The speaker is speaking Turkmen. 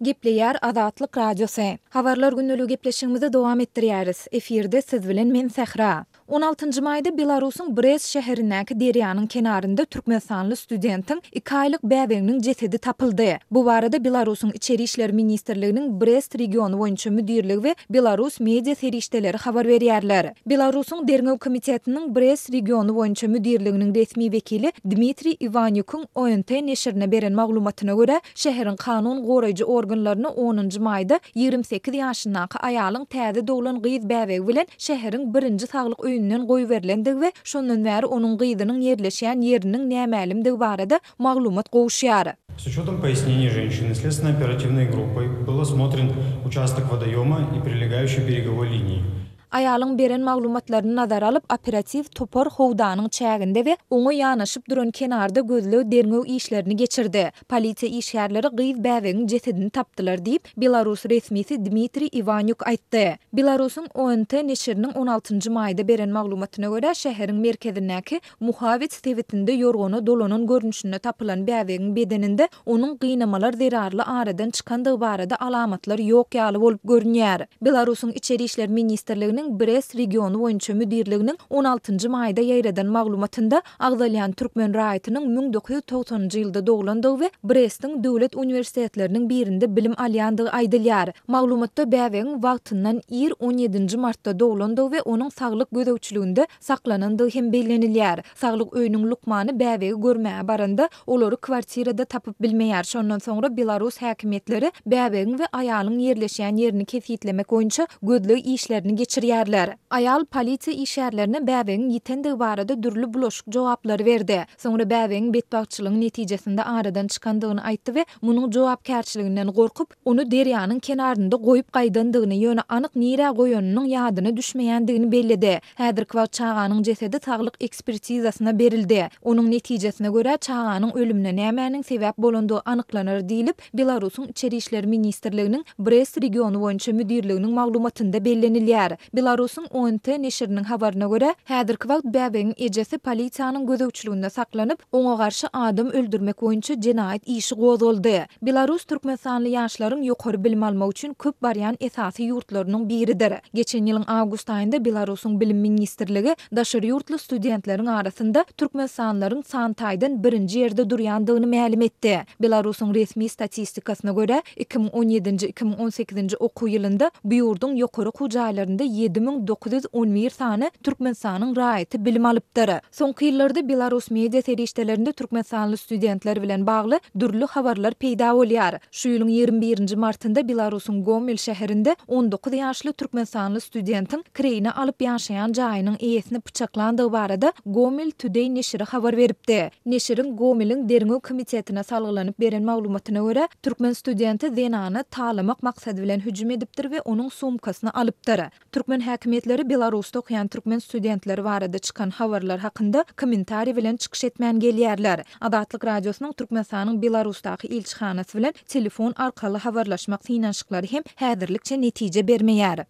Gepleýär Azatlyk Radiosy. Habarlar gündeligi gepleşigimizi dowam etdirýäris. Efirde siz bilen men Sähra. On altynjy maýda Belarusyň Brest şäherindäki derýanyň kenarynda türkmenistanly studentiň iki aýlyk bäbeginiň jesedi tapyldy. Bu barada Belarusyň Içeri işler ministrliginiň Brest regiony boýunça müdirligi we belarus media serişdeleri habar berýärler. Belarusyň Derňew komitetiniň Brest regiony boýunça müdirliginiň resmi wekili Dmitriý Iwanýukyň ONT neşirine beren maglumatyna görä, Şäheriň kanun goraýjy organlaryna onunjy maýda 28 ýaşyndaky aýalyň täze doglan gyz bäbegi bilen şäheriň birinji saglyk öýünden goýberilendigi we şondan bäri onuň gyzynyň ýerleşýän ýeriniň nämälimdigi barada maglumat gowuşýar. S учетом пояснений женщины следственно-оперативной группой был осмотрен участок водоема и прилегающей береговой линии. Aýalyň beren maglumatlaryny nazara alyp, operatiw topar howdanyň çäginde we oňa ýanaşyp duran kenarda gözleg-derňew işlerini geçirdi. Polisiýa işgärleri gyz bäbegiň jesedini tapdylar diýip, belarus resmisi Dmitriý Iwanýuk aýtdy. Belarusyň ONT neşiriniň on altynjy maýda beren maglumatyna görä, şäheriň merkezindäki Muhawets sebitinde ýorgana dolanan görnüşinde tapylan bäbegiň bedeninde onuň gynamalar zerarly aradan çykandygy barada alamatlar ýok ýaly bolup görünýär. Belarusyň Içeri işler ministrliginiň Brest regiony boýunça müdirliginiň on altynjy maýda ýaýradan maglumatynda agzalýan türkmen raýatynyň 1990-njy ýylda doglandygy we Brestiň döwlet uniwersitetleriniň birinde bilim alýandygy aýdylýar. Maglumatda bäbegiň wagtyndan ir on ýedinji martda doglandygy we onuň saglyk gözegçiliginde saklanandygy hem bellenilýär. Saglyk öýüniň lukmany bäbegi görmäge baranda, olary kwartirada tapyp bilmeýär. Şondan soňra belarus häkimiýetleri bäbegiň we aýalyň ýerleşýän ýerini kesgitlemek boýunça gözleg işlerini geçirýärler. Aýal polisiýa işgärlerine bäbegiň ýitendigi barada dürli bulaşyk jogaplary berdi. Soňra bäbegiň betbagtçylygyň netijesinde aradan çykandygyny aýtdy we munuň jogapkärçiliginden gorkup, ony derýanyň kenarynda goýup gaýdandygyny, ýöne anyk nirä goýanynyň ýadyna düşmeýändigini belledi. Häzirki wagt çaganyň jesedi saglyk ekspertizasyna berildi. Onuň netijesine görä, çaganyň ölümine nämäniň sebäp bolandygy anyklanar diýlip, Belarusyň Içeri işler ministrliginiň Brest regiony boýunça müdirliginiň maglumatynda bellenilýär. Belarusyň ONT neşiriniň habaryna görä, häzirki wagt bäbegiň ejesi polisiýanyň gözegçiliginde saklanyp, oňa garşy adam öldürmek boýunça jenaýat işi gozgaldy. Belarus türkmenistanly ýaşlaryň ýokary bilim almak üçin köp barýan esasy ýurtlarynyň biridir. Geçen ýylyň awgust aýynda Belarusyň Bilim ministrligi daşary ýurtly studentleriň arasynda türkmenistanlylaryň san taýdan birinji ýerde durýandygyny mälim etdi. Belarusyň resmi statistikasyna görä, 2017-nji, 2018-nji okuw ýylynda bu ýurduň ýokary okuw jaýlarynda 7911 sany Türkmenistanyň raýaty bilim alypdyr. Soňky ýyllarda belarus media serişdelerinde türkmenistanly studentler bilen bagly dürli habarlar peýda bolýar. Şu ýylyň 21-nji martynda Belarusyň Gomel şäherinde 19 ýaşly türkmenistanly studentiň kireýine alyp ýaşaýan jaýynyň eýesini pyçaklandygy barada Gomel Today neşiri habar beripdi. Neşiriň Gomeliň derňew komitetine salgylanyp beren maglumatyna görä, türkmen studenti zenana talamak maksady bilen hüjüm edipdir we onuň sumkasyny alypdyr. Türkmen häkimiýetleri Belarusda okaýan türkmen studentleri barada çykan habarlar hakynda kommentariý bilen çykyş etmän gelýärler. Azatlyk Radiosynyň Türkmenistanyň Belarusdaky ilçihanasy bilen telefon arkaly habarlaşmak synanyşyklary hem häzirlikçe netije bermeýär.